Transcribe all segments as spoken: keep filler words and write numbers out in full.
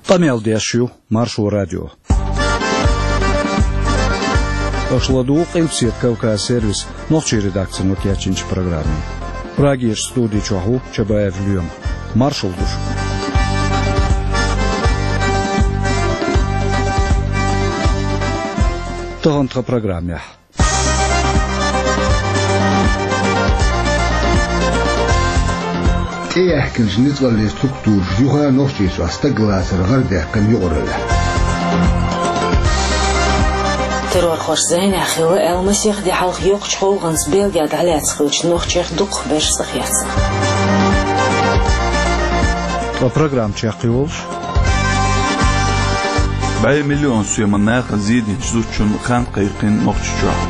Къамел деш ю Маршо радио. Аша ладугӀу Къилбаседа Кавказ сервисан нохчийн редакцино кечйинчу программе. Прагерчу студи чохь ву Чабаев Лоьма. Маршалла ду шуьга. Тахана тхан программехь. ТӀеяьхкинчу ницкъаллин структураш юха а Нохчийчохь стаглацар гӀарадаьккхина юкъараллехь. Террорхоша зӀенехь хилла аьлла, масех де хьалха йоккхачу гӀуллакхца Бельгехь дӀалаьцна хиллачу нохчех дукхахберш схьакхаьчна. Ткъа программа чекхйолуш. БӀе миллион соьман нахана зийдинчу зудчунна хан кхайкхина Нохчийчохь.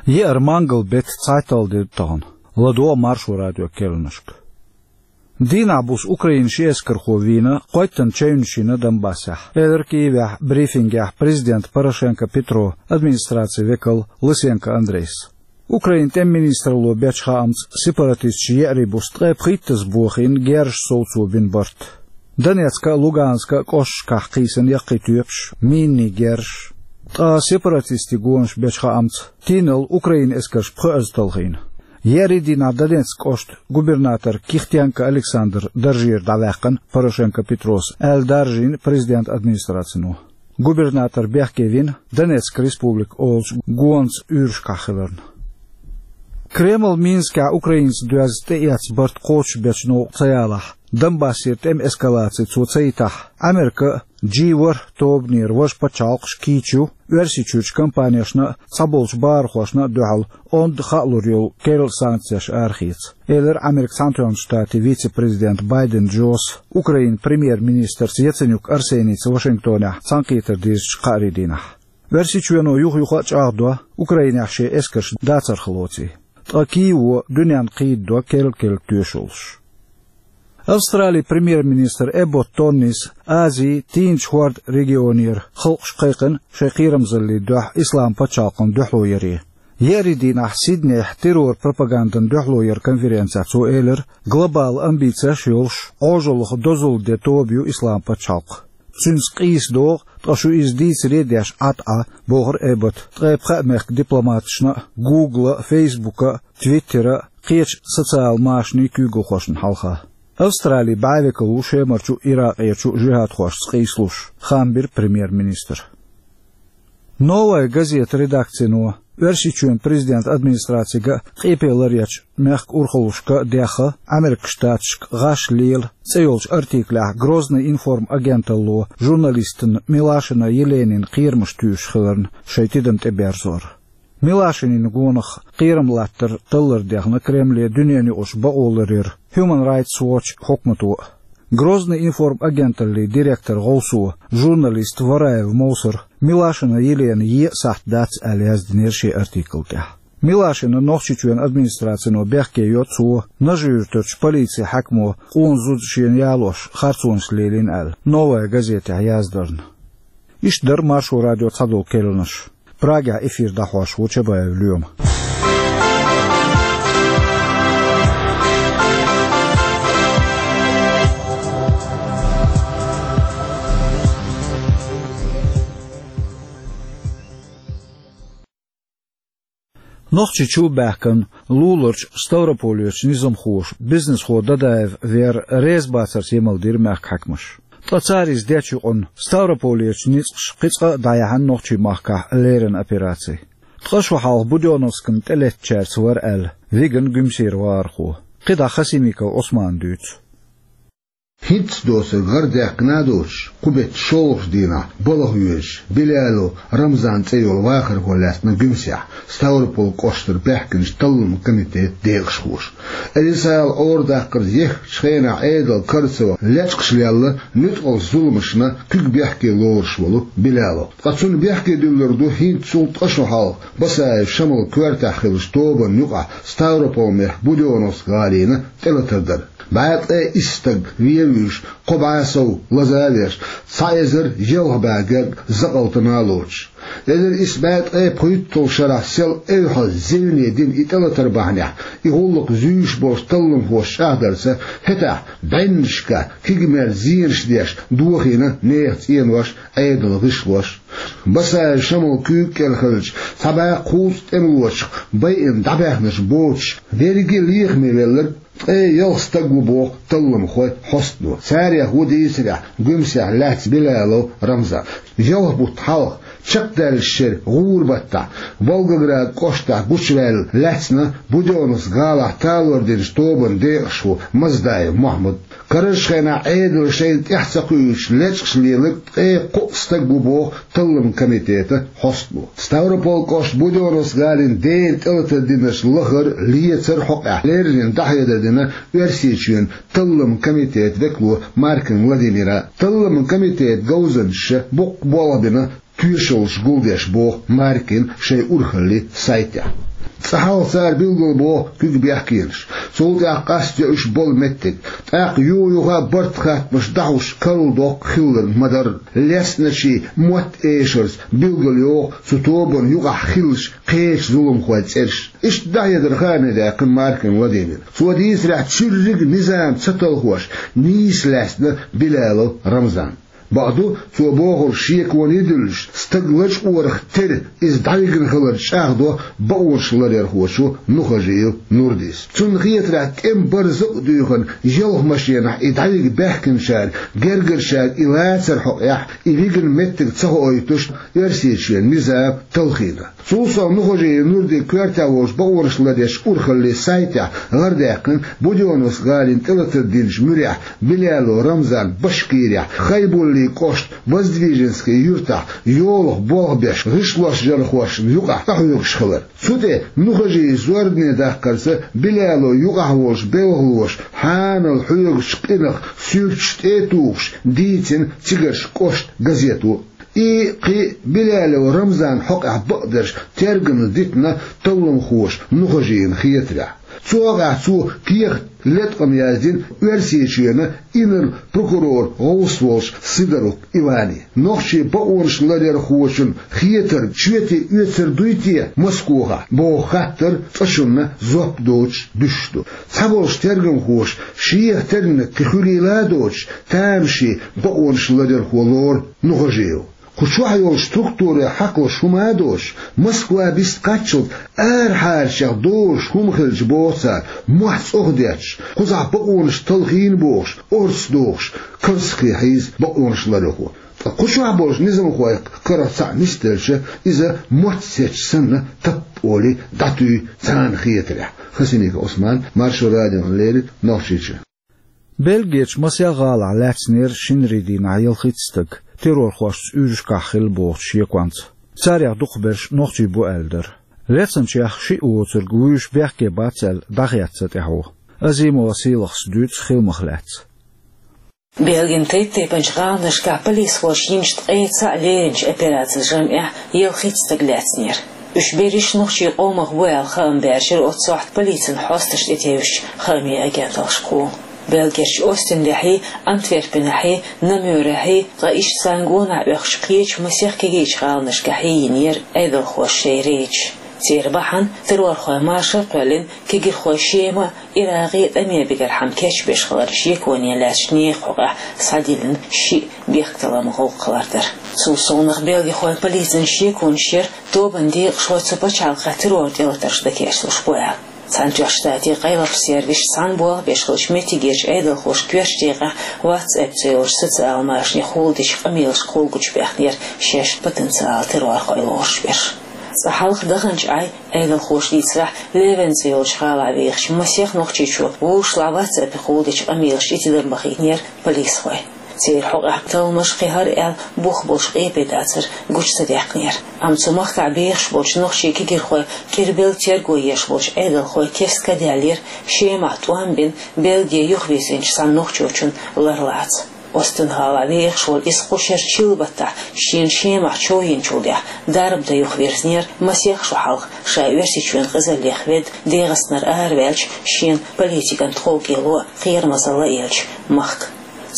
Еара мангал беттан цхьайтталгӀа де ду тахана. ЛадогӀа Маршо радион керланашка. Дийнахь буса Украинан ши эскархо вийна, кхойттана чевнаш йина Донбассехь, элира Киевехь брифингехь президента Порошенко Петро администрацин векал Лысенко Андрейс. Украинан тӀеман министралло бечу хаамца, сепаратисташа еарин буса ткъе пхийттазза бохийна герзаш совцо бина барт. Донецкан а, Луганскан а кӀошташкахь кхийсина яккхий тоьпаш, минийн герзаш. Ткъа сепаратистийн гонаш бечу хаамца, тийналла Украинан эскарша пхоьазза талхийна. Еарин дийнахь Донецкан кӀоштан губернатор Кихтенко Александр даржера дӀаваьккхина Порошенко Петрос, аьлла даржийна президентан администрацино. Губернатор бехке вина, Донецкан республика олучу гонца уьйрашкахь хиларна. Кремль Минскехь украинца доьзна тӀеэцна барт кхочушбечу новкъа ца ялахь, Донбассера тӀеман эскалаци цо ца йитахь, Америка а, джи ворхӀ тобанера важа пачхьалкхаш а кийча ю Оьрсийчуьрчу компанешна а, цхьаболчу бахархошна а дуьхьал онда хаалур йолу керла санкцеш арахеца, элира Американ Цхьаьнатоьхначу Штатийн вице-президента Байден Джос Украинан премьер-министрца Яценюк Арсеница Вашингтонехь цхьаьнакхетар дирзичу кхаарин дийнахь. Оьрсийчоьно юха-юха а чӀагӀдо Украинехь шен эскарш дацарх лоций. Ткъа Киево дуьненна кхийдадо керла-керла тоьшаллаш. Австралин премьер-министр Эбботт Тоннис Азин, Тийначу хӀордан регионера халкъаш кхайкхина шайн кхерамзаллин дуьхьа Исламан пачхьалкхана дуьхьало яре. Еарин дийнахь Сиднейхь террор-пропагандан дуьхьало яран конференцехь цо элира, глобал амбицеш а йолуш, Ӏожаллех дозалла ден тоба ю Исламан пачхьалкх. Цуьнца къийса догӀу, ткъа шу иза дийцаре а деш Ӏа-Ӏа, бохура Эбботта ткъе пхеа мехкан дипломаташна а, Гугла а, Фейсбука а, Твиттера а, кхечу социал машанийн куьйгалхошна хьалха. Австралин бӀе векал ву Шемарчу а, Иракъерчу а жихӀадхошца къийсалуш, хаам бира премьер-министра. «Новая газета» редакцино Оьрсийчоьнан президентан администрацига а, къепе ларъечу мехкан урхаллашка а дехха, Америкин Штаташка гӀаш лела цӀе йолчу артиклехь Грозный информ агенталло журналистана Милашина Еленина кхерамаш туьйсуш хиларна шайн тидам тӀеберзор. Милашинин гонах кхерам латтар таллар дехна Кремле дуьненаюкъарчу бакъоларъяран Human Rights Watch хьукмато а. Грозный информ агенталлин директоран гӀовсо, журналист Вараев Мовсара Милашина Елена е а сахьт дац аьлла яздинера шен артикла тӀехь. Милашина Нохчийчоьнан администрацино бехке йо цо, Нажи-Юьртарчу полицин хьаькамо къона зуда шена ялош харцонаш лелийна аьлла, «Новая газетехь» яздарна. Иштта дара Маршо радион цхьадолу керланаш. Прагехь эфир дӀахьош ву Чабаев Лоьма. Нохчийчу а баьхкина, луларчу Ставрополерчу низамхоша бизнесхо Дадаев Вера реза бацарца емал дира мехкан хьаькамаш. Ткъа цара иза дечу юкъана Ставрополерчу ницкъаша кхин цкъа а дӀаяьхьна нохчийн махкахь леррина операци. Ткъа шо хьалха Будённовскана тӀелеттачаьрца вара аьлла, Виган Гуьмсера вахархо. КхидӀа Хасимиков Ӏусмана дуьйцу. ХӀинцца доцург гӀарадаьккхина а доцуш, кху беттан шолгӀачу дийнахь балха воьдуш, Билялов Рамзан цӀе йолу вахархо лаьцна Гуьмсехь Ставрополан кӀоштара баьхкинчу талламан комитетан декъашхоша. Элисал Ӏорадаккхарца еххачу хенахь Ӏедал карцо лечкъаш лелла нуьцкъала зуламашна куьг бехке лоруш волу Билялов. Ткъа цунна бехке дуьллур ду хӀинццул ткъа шо хьалха Басаев Шамалан коьртехь хиллачу тобанна юкъахь Ставрополан мехкан Будённовск гӀалина тӀелатар дар. БӀе ткъе исс стаг вен вуьйш, кхо бӀе сов лаза а веш, цхьа эзар ялх бӀе герга закъалтана а лоцуш. Эзар исс бӀе ткъе пхийтталгӀа шарахь сел эвхьаза зевне дина и тӀелатар бахьанехь, и гӀуллакх зуьйш болчу талламхоша чӀагӀдарца, хӀетахь бӀеннашка кегий мел зенаш деш дохийна нехан цӀенош, Ӏедалан гӀишлош. Басаев Шамалан куьйга кӀел хиллачу цхьа бӀе кхузткъа тӀемалочух байина дӀабаьхнарш боцуш, берриге а лехаме велларг ткъе ялх стаг ву боху талламхойн хьостано. Царех ву дийцарехь Гуьмсехь лаьцна Билалов Рамзан. Ялх бутт хьалха, чекхдаьллачу шеран гӀуран баттахь, Волгоград кӀоштахь гучуваьлла лаьцна Будённовск гӀалахь талор динчу тобанан декъашхо Маздаев Мохьмад. Карарчу хенахь Ӏедало шайна тӀаьхьа ца кхуьуьйтуш лечкъаш леларг ткъе кхоъ стаг ву боху талламан комитетан хьостано. Ставрополь кӀоштан Будённовск гӀалин дена тӀелатар динарш лахар, лецар хьокъехь леррина дӀахьедар дина Оьрсийчоьнан талламан комитетан векало Маркин Владимира. Талламан комитетан говзанчаша боккха болх бина тоьшаллаш гулдеш, боху Маркина шайн урхаллин сайтехь. Цкъа хьалха цара билгалбоху куьг бехкенаш, цул тӀаьхьа къастайо уьш болу меттиг, тӀаккха юха-юха а барт хаттамаш дӀахьуш карладоккху хилларг ма-дарра. Лецначийн мотт эшарца билгалйоху цу тобанна юкъахь хиллачу кхечу зуламхойн цӀераш. Иштта дӀахьедар хаамдаьккхина Маркин Владимира. Цо дийцарехь, цуьрриг а низам ца талхош нийса лаьцна Билалов Рамзан. Бакъду, цо бохург шеконе а дуьллуш, стаг лачкъорах тера иза дӀавигна хилар чӀагӀдо бакъонаш ларъярхочо Нухажиев Нурдис. Цунна хетарехь, тӀеман барзакъ а дуьйхина, ялх машенахь и дӀавига баьхкинчара, гергарчара и лацар хьокъехь, и вигна меттиг ца хоуьйтуш, Оьрсийчоьнан низам талхийна. Цул сов Нухажиев Нурдин коьртехь волчу бакъонаш ларъечу урхаллин сайтехь лардаьккхина Будённовск гӀалин тӀелатар динчу муьрехь Билалов Рамзан Башкирехь, Хайбуллин кӀоштан Воздвиженский юьртахь йолах болх беш гӀишлош-жархошна юкъахь къахьоьгуш хилар. Цу тӀе Нухажиев зорбане даккхарца Билалов юкъахь волчу белхалоша хьанал хьоьгучу къинах суьрташ тӀе а тухуш дийцина цигарчу кӀоштан газето. И кхин Билалов Рамзан хьокъехь бакъдерш тергамна дитина талламхоша Нухажиевна хетарехь. Цу хьокъехь цо кехат, латкъам яздина Оьрсийчоьнан инарла прокурор гӀовс волчу Сидорук Иване. Нохчийн бакъонаш ларъярхочун хетарг чоьте оьцур дуй те Москохахь, боху хаттар цкъачунна жоп доцуш дуьсуш ду. Цхьаболчу тергамхоша шех терниг кхин хуьлийла а доцуш, тамашийна бакъонаш ларъярхо лору Нухажиев. Кху чохь йолчу структурийн хьакхалуш хӀума а доцуш, Москва бист кхаччалц арахьарчех долуш хӀума хилча, боху цара, мохь цӀохдетташ, кхузахь бакъонаш талхийна бохуш, орца дохуш, карзахе хьийза бакъонаш ларъярхо. Ткъа кху чохь болчу низамхойх карах цхьаъ нисделча, иза мотт сецча санна, таппа олий дӀатуьй царна хетарехь. Хасимиков Ӏусман, Маршо радиона леррина, Нохчийчоь. Бельгерчу масех гӀалахь лаьцнера шинарин дийнахь ялхитта стаг, террорхошца уьйрашкахь хилла бохучу шеконца. Царех дукхахберш нохчий бу аьлла дара. Лецначех шиъ воцург вуьйш бехке бац аьлла дӀахецна тӀаьхьо. Азимова Сийлахас дуьйцу хиламах лаьцна. Бельгин тайп-тайпанчу гӀаланашкахь полисхоша йинчу ткъе цхьаъ леринчу операцин жамӀехь ялхитта стаг лаьцнера. Уьш берриш нохчийн къомах бу аьлла хаам баьржира оццу сохьта полицин хьосташ тӀетевжачу хаамийн агенталлашкахула. Бельгерчу Остинехьий, Антверпенехьий, Намюрехьий, ткъа иштта царна гонах оьхучу кхечу масех кегийчу гӀаланашкахьий йинера Ӏедалхоша шайн рейдаш. Церан бахьана террорхойн машар а кхоьллина, кегирхой Шема а, Иракъ а тӀаме бигархьама кечбеш хиларан шеконе лаьцначу нехан хьокъехь схьадиллина шиъ бехктакхаман гӀуллакх хилар дара. Цул совнах бельгихойн полицин шеконаш яра тобанан декъашхой цу пачхьалкхехь террор тӀелатарш дан кечлуш бу аьлла. Цхьаьнатоьхначу Штатийн къайлахчу сервисаша цхьаьна болх беш хиллачу меттигерчу Ӏедалхоша коьртачу декъехь WhatsApp цӀе йолчу социалан машанехь хӀуллакх дечу къамелашка хӀуллакх гучубаьхнера шаьш потенциалан террорхой лоруш берш. Цкъа хьалха даханчу Ӏай, Ӏедалхоша дийцарехь, Левен цӀе йолчу гӀалахь вехачу масех нохчичо вовшашлахь WhatsApp-ехь хӀуллакх дечу къамелашна тидам бахийтинера полисхой. Церан хьокъехь талламаш, кхин хӀара аьлла, бух болуш къепе дацар гучу ца даьккхинера. Амма цу махкахь бехаш болчу нохчийн кегирхойн кӀирбелла терго еш болчу Ӏедалхойн кеста ка даьллера Шемахь тӀом бина Бельге юхавирзинчу цхьана нохчочун ларлаца. Остин-гӀалахь вехаш волу иза кху шеран чиллан баттахь шена Шемахь чоянчул тӀаьхьа дарба дан юхавирзинера масех шо хьалха ша Оьрсийчоьнан къизаллех ведда ДегӀастанара араваьллачу, шена политикан тховкӀело а, кхерамазалла а еллачу махка.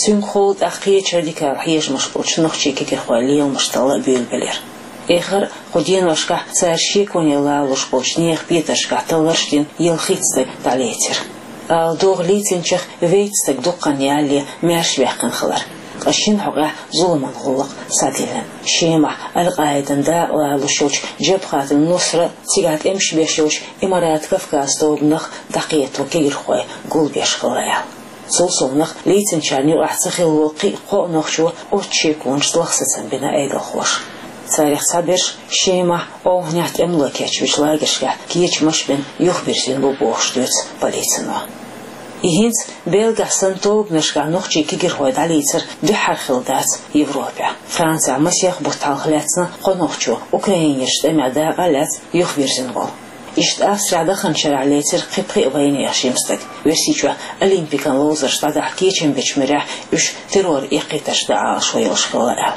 Цуьнгахула тӀаккха кхечу радикал хьежамаш болчу нохчийн кегийрхойн леламаш талла а буьйлабелира. Эххар а кху деношкахь цара шеконе лалуш болчу нехан петаршкахь талларш дина ялхитта стаг дӀалецира. Ала догӀу, лецначех вейтта стаг дукха хан ялале маьрша ваьккхина хилар, ткъа шина хьокъехь зуламан гӀуллакх схьадиллина. Шемахь Аль-Къаидан дакъа лалуш йолчу Джабхат аль-Нусра, цигахь тӀемаш беш йолчу Имарат Кавказ тобанах дӀакхетаво кегийрхой гулбеш хилла аьлла. Цул совнаха, лецначарна юкъахь ца хилла волу кхин а кхоъ нохчо оццу шеконашца лахсацам бина Ӏедалхоша. Царех цхьаберш Шемахь, Ӏовханехь тӀемало кечбинчу лагершкахь кечамаш а бина юхабирзина бу бохуш дуьйцу полицино. И хӀинца Бельгехь санна тобанашкахь нохчийн кегийрхой дӀалецар дуьххьара хилла дац Европехь. Францехь масех бутт хьалха лаьцна кхо нохчо, Украинерчу тӀемехь дакъа а лаьцна, юхавирзина волу. Иштта Австрехь даханчу шарахь лецира кхин пхиъ вайнехан жима стаг, Оьрсийчохь Олимпикан ловзарш дӀадахьа кечам бечу муьрехь уьш терроран эккхийтарш дан Ӏалашо йолуш хилла аьлла.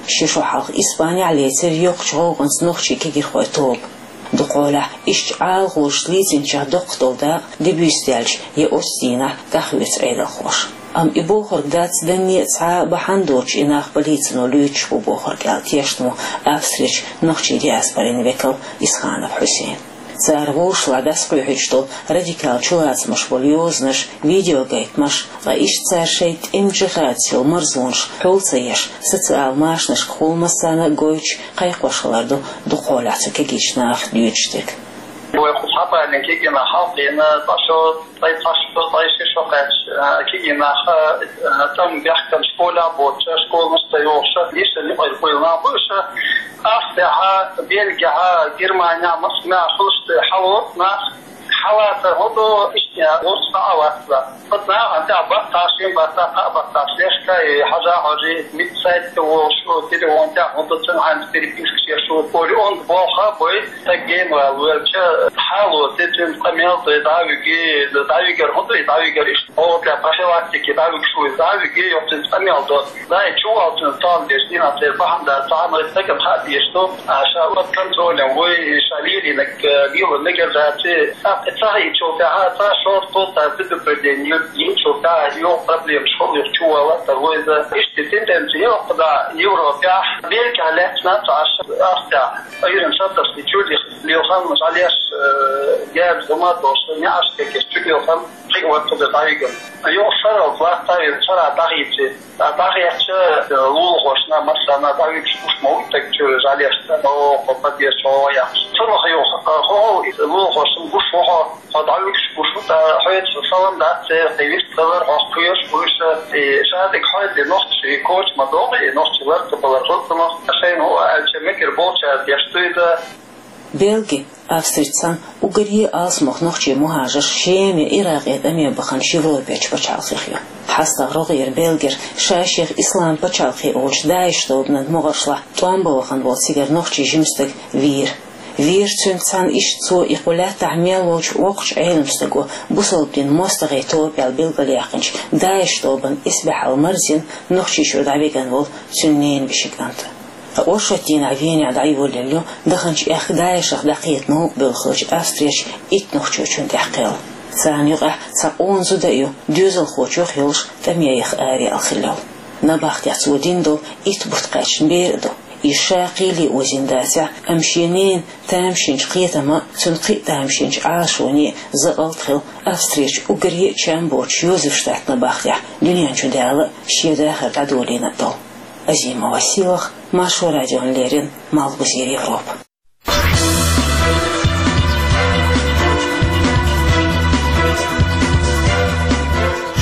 Ши шо хьалха Испанехь лецира йоккхачу гӀовгӀанца нохчийн кегийрхойн тоба. Дукхахьолахь иштта Ӏалашонаш лецначех доккха долу дакъа де буьйса даьлча я оццу дийнахь дӀахоьцу Ӏедалхоша. Амма и бохург дац данне а цхьа а бахьана доцуш и нах полицино луьйчуш бу бохург аьлла, тешна ву Австрерчу нохчийн диаспорин векал Исханов Хьусейн. Цара вовшашлахь дӀасакхоьхьуьйтуш долу радикал чулацамаш болу йозанаш, видеогайтамаш, ткъа иштта цара шайн тӀеман джихадца йолу марзонаш хьул ца еш, социал машанашкахула массарна а гойтуш кхайкхош хилар ду дукхахьолахь цу кегийчу наха дуьйцуш дерг. Вай кху цхьаболчу кегийчу наха хьалхийна, цхьа шо, ткъа цхьа шо, ткъа ши шо кхаьчча, а, кегий нах, а, тӀом баьхкина школехь боцуш, школанаш ца йохуш, иштта юкъара буьйлу нах бу уьш. Австрехь, Бельгехь, Германехь, массо а мехь хуьлуш ду хьалаца нах. Хьалаца хӀун ду, иштта гӀурс а вац. Оцу нахана тӀехь баттахь, шина баттахь, кхаа баттахь лешка, и хьажа-хьожий, митта сайт тӀе волуш, телефон тӀехь хӀун ду, цуьнан хьайна переписка еш ву, олий, онда болх а бой, стаг генвал велча, хьалоций, цуьнца къамел дой, дӀавиги, дӀавигар хӀун ду, дӀавигар иштта, оха тӀехь профилактике дӀавигаш ву, дӀавиги, йоккха цуьнца къамел до. Дай чувал цуьнан тол деш, дина церан бахьана дац, цхьа а стагана хаа дезаш ду, а, ша под контролем вуй, ша лелийнарг, э, лела мегар дац, тӀаккха ца хиъчул тӀаьхьа, цхьа шортта, цхьа предупреждение йинчул тӀаьхьа, йоккха проблемаш хуьлу, юха чувала а тарло иза. Иштта тенденция йоккха да Европехь, Бельгехь лаьцна цхьа аш, Австрехь, айран шатаршни чуьллих лелхан, жалеш, э, герз хӀума долуш, неӀарш кегеш чуьллилхан, кхин а вац цуьнан дӀавигар. Юха шаралц латта а вина, шарахь дӀахийци. ДӀахецча, лулахошна, массарна дӀавигаш гуш ма вуй стаг чуьра жалешца, оха подъезд чу гӀо яхаш. Цунах юха, хӀо-хӀо, иза лулахошна гуш ву хьо, хьо дӀавигаш гуш ву, ткъа хьоьца салам дац церан, тӀе вист хилар, хьох кхоьруш бу уьш, и шадерг хьоьца и нохчий коча ма догӀу, и нохчий лар ца балар хӀуттамах, шайна хӀун аьлча мегар болчаьрца деш ду иза. Бельги, Австрицан уггаре а алсамох нохчий мухӀажарш Шема я Иракъе тӀаме баханчу Европерчу пачхьалкхех ю. ХьастагӀа рогӀера Бельгера ша-шех Ислам пачхьалкхе олучу ДАИШ тобанан могӀаршлахь тӀом бан вахана волу цигара нохчийн жима стаг вийра. Вийра цуьнца цхьаьна иштта цо и кху лаьттахь мел волчу воккхачу Ӏелам стага бусалба динан мостагӀийн тоба аьлла билгалъяьккхинчу ДАИШ тобанан исбаьхьалла марзина Нохчийчуьра дӀавигна волу цуьнан ненан вешин кӀант. Ткъа оршот дийнахь Венехь дӀайолаелла ю даханчу аьхка ДАИШах дӀакхета новкъа бевлла хиллачу Австрерчу итт нохчочунна тӀехь кхел. Царна юкъахь цхьа къона зуда а ю, доьзалхочух а йолуш, тӀаме яха араяьлла хилла йолу. Набахтехь цо дина долу итт бутт кхаьчна бер а ду. Иза ша кхеле озийна дацахь а, амма шен ненан тамашийначу кхетаман а, цуьнан кхин а тамашийначу Ӏалашонан а закъалт хилла Австрерчу уггаре а чам боцучу Йозефштадтан набахтехь дуьнен чу дала а, шен дахар дӀадолийна а долу. Азима Василах, Маршо радиона леррина, Малхбузера Европа.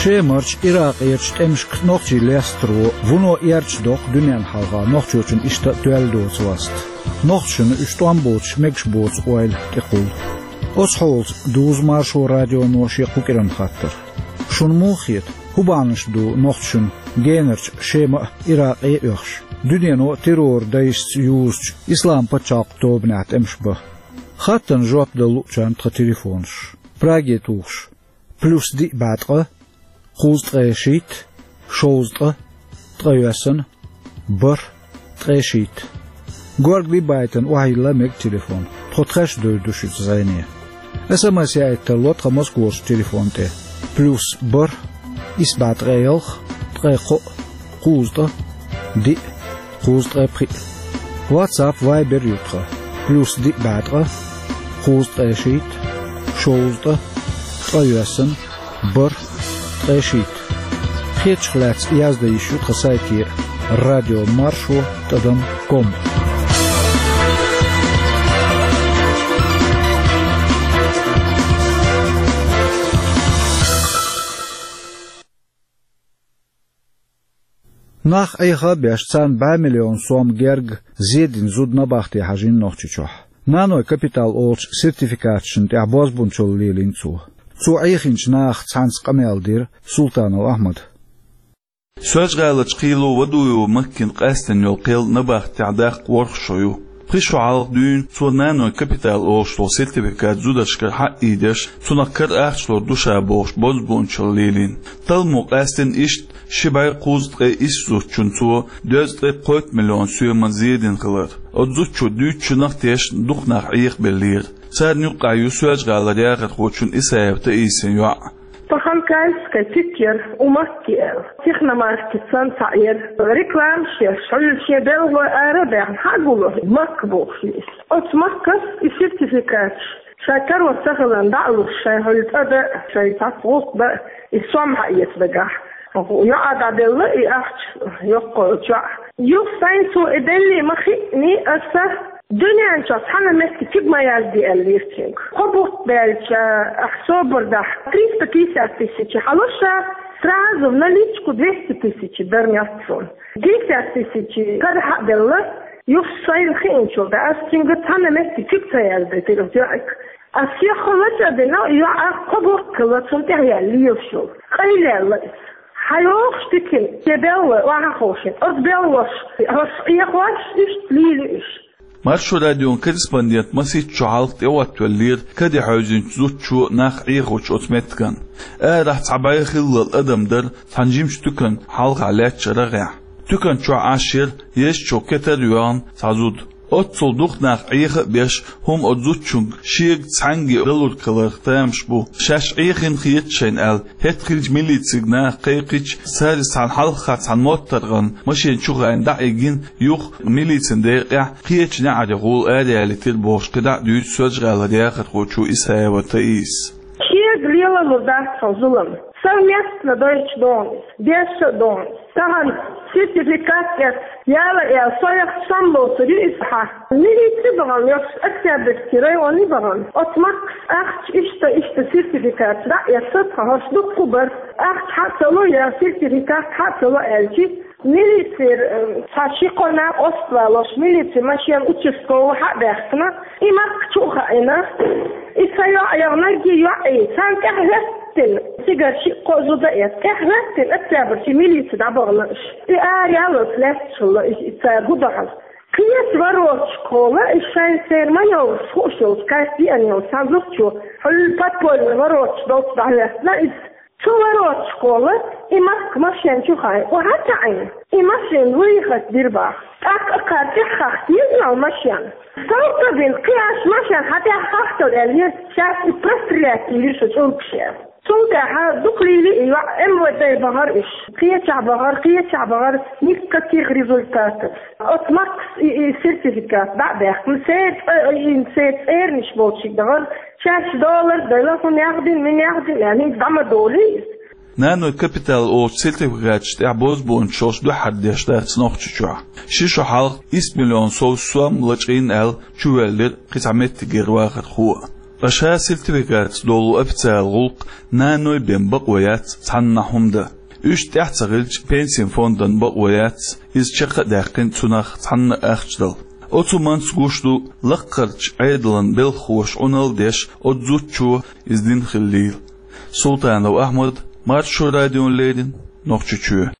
Шемарчу, Иракъерчу тӀемашка нохчий лестаро вуно эрча доккху дуьненна хьалха нохчочун иштта а тоьлла доцу васт. Нохчашна уьш тӀом боцуш мегаш боцу ойла тӀекхуллу. Оцу хьолаца дузу Маршо радионо шен кху кӀиран хаттар. Шуна муха хета, хӀун бахьанаш ду нохчашна генарчу Шема а, Иракъе а оьхуш, дуьнено а террор дайшца юзучу Ислам пачхьалкх тобанехь тӀемаш бан? Хаттарна жоп дала луучарна тхан телефонаш. Праге тухуш: плюс диъ бӀе ткъа, кхузткъе шийтта, шовзткъа, ткъе йоьссана, бархӀ, ткъе шийтта. Горгали байтана охьайилла мега телефон. Тхо тхаьш девр ду шуьца зӀене. СМС яийта тарло тхан Москварчу телефон тӀе: плюс бархӀ, исс бӀе ткъе ялх, ткъе кхоъ, кхузткъа, диъ, кхузткъе пхиъ. WhatsApp, Viber ю тхан: плюс диъ бӀе ткъа, кхузткъе шийтта, шовзткъа, ткъе йоьссана, бархӀ, ткъе шийтта. Кхечух лаьцна яздан йиш ю тхан сайте: радио маршо тӀадам ком. Нах Ӏеха а беш, царна бӀе миллион сом герга зе дина зуда набахте хьажийна Нохчийчохь. «Наной капитал» олучу сертификаташна тӀехь бозбунчалла лелийна цо. Цо Ӏехинчу нахах цхьаьнца къамел дира Султанов Ахьмада. Соьлжа-ГӀаларчу Кхийло-Вадуево Маккина къаьстина йолу кхел набахтехь даккха ворхӀ шо ю. Пхи шо хьалха дуьйна цо «Наной капитал» олуш долу сертификат зударшкара хьаъ ийдеш, цунах кара ахча лур ду ша бохуш бозбунчалла лелийна. Талламо къаьстина иштта ши бӀе кхузткъе исс зудчунна цо дезткъе кхойтта миллион соьман зе дина хилар. Оцу зудчо дуьйцучунах а тешна дукха нах Ӏехабеллера. Царна юккъехь ю Соьлжа-ГӀалара яхархочун Исаева Таисин йоӀ. Тхан Кальская цхьаъ яра, у Макки аьлла. Техномаркет санна цхьаъ яра. Рекламаш еш, хьуьлла шен белхалой ара а баьхна, хьа а гулуш, Макка бохуш ю иза. Оцу Маккас и сертификаташ, шайн карор ца хиларна дӀа а луш, шайн хьуьлла цӀа дан а, шайн цхьацца гӀуллакх дан а, и сом хьаэца дагахь. ЙоӀа дӀаделла и ахча, йоккхо йолчу йоӀа. Юха сайн цо и деллий ма хиъний аса, дуьнен чохь цхьана а меттиг куьг ма язде аьллера цуьнга. Кхо бутт баьлча, ахь собар дахь, триста пятьдесят тысяч хьалуш а, сразу в наличку двести тысяч дара мел цунна. Пятьдесят тысяч кара хьа а делла, юха сайна хиъначул тӀаьхьа аса цуьнга цхьана а меттиг куьг ца яздайтира оцу йоӀига. Ас сихха лачкъа а дина, йоӀа кхо бутт хилла цунна тӀехь яьлла лелаш йолу. Къайлаьлла иза. Хьан йохуш тикина, я белла, охьаховшина. Оцу беллош, хӀорш Ӏехош, иштта лийли уьш. Маршо радион корреспондент масийтта шо хьалха тӀеоттавеллера каде хьевзинчу зудчо нах Ӏехочу оцу меттиган. Арахь цхьа бӀе хиллал адам дара цхьана жимачу туькан хьалха лаьтташ рагӀехь. Туькан чохь Ӏаш яра езачу кетар а йоьхна цхьа зуда. Оццул дукха нах Ӏеха а беш, хӀума оцу зудчуьнга шега цхьаьнгге далург хиларх тамаш бу. Шаьш Ӏехийна хета шайна аьлла, хӀетахь хилча милицига наха кхайкхича, цара цхьана хьалххьа цхьана моттаргӀан машен чу хаийна дӀа а йигна, юха милицин декъехь кхечу неӀарехула араяьллийтира бохуш кхидӀа а дуьйцу Соьлжа-ГӀалара яхархочо Исаева Таиса. Шега лелалур дац хьо зулам. Совместно дойчу догӀна иза, дешша а догӀна иза. Тахана сертификат эцна, яла а яьлла, со яхча сом лоцур ю иза хьан. Милици бахана, йоккхуш Октябрьский районе бахана. Оцу Маккас ахча иштта, иштта сертификат дӀа а эцна, тхан хӀорш дуккха а бара. Ахча хьа а ца ло, я сертификат хьа а ца ло аьлчи, милицера, э, цхьа ши-кхо нах къоставалош, милицин машен участковый хьа а баьхкина, и Макка чу а хаийна, и сан йоӀ яханарг, и йоӀ, и царна тӀаьхьахӀоьттина, цигара шиъ-кхоъ зуда эцна, тӀаьхьахӀоьттина Октябрьский милице дӀабахана уьш. И араяьлла лаьтташ хилла и, и цара хӀун до хьажа. Кхечу вороташкахула, и шайн церан маневраш хууш йолчу кайс деана йолчу цхьана зудчо, хьуьлла подпольный вороташ долчу дӀахӀоьттина иза. Цу вороташкахула и Макка машен чу хаийна, охьа а ца Ӏийна, и машен выехать дира боху. ТӀаккха кхара тӀаьхьахахка еза йолу машен. Салта бина, кхин аш машен хьан тӀаьхьахахкал аьлла, шаьш и прострелять йийр шу чӀургаш аьлла. Цул тӀаьхьа дукха лийли и йоӀ, МВД бахара уьш. Кхечахь бахара, кхечахь бахара, никаких результатов. Оцу Маккас и, и сертификат дӀа а баьхкина, церан цӀе-, и церан цӀерниш болчуьнга дахара, шаьш доллар дала, хӀун яхдина, мин яхдина, аьлла, хӀинца дӀа ма долий иза. «Наной капитал» олучу сертификаташ тӀехь бозбуунчаллаш дуьххьара деш дац Нохчийчохь. Ши шо хьалха исс миллион сов сом лачкъийна аьлла чувоьллира кхин цхьа меттигера вахархо. Ткъа ша сертификатца долу официалан гӀуллакх «Наной» бен бакъо яц цхьаннахь хӀума дан. Уьш тӀаьхьа ца хилча, пенсийн фондан бакъо яц иза чекх а даьккхина цунах цхьанна а ахча дала. Оцу хӀуманца гуш ду лаккхарчу Ӏедалан белхахоша Ӏуналла деш оцу зудчо иза дина хиллийла. Султанов Ахьмад, Маршо радиона леррина, Нохчийчоь.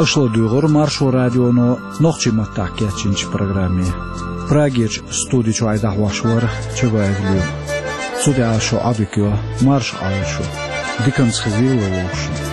Аша ладуьйгӀира Маршо радионо нохчийн маттахь кечйинчу программе. Прагерчу студи чуьра дӀахьош вара Чабаев Лёва. Цу тӀехь шу Ӏодика йо, марша Ӏойла шу, диканца хезийла вовшашна.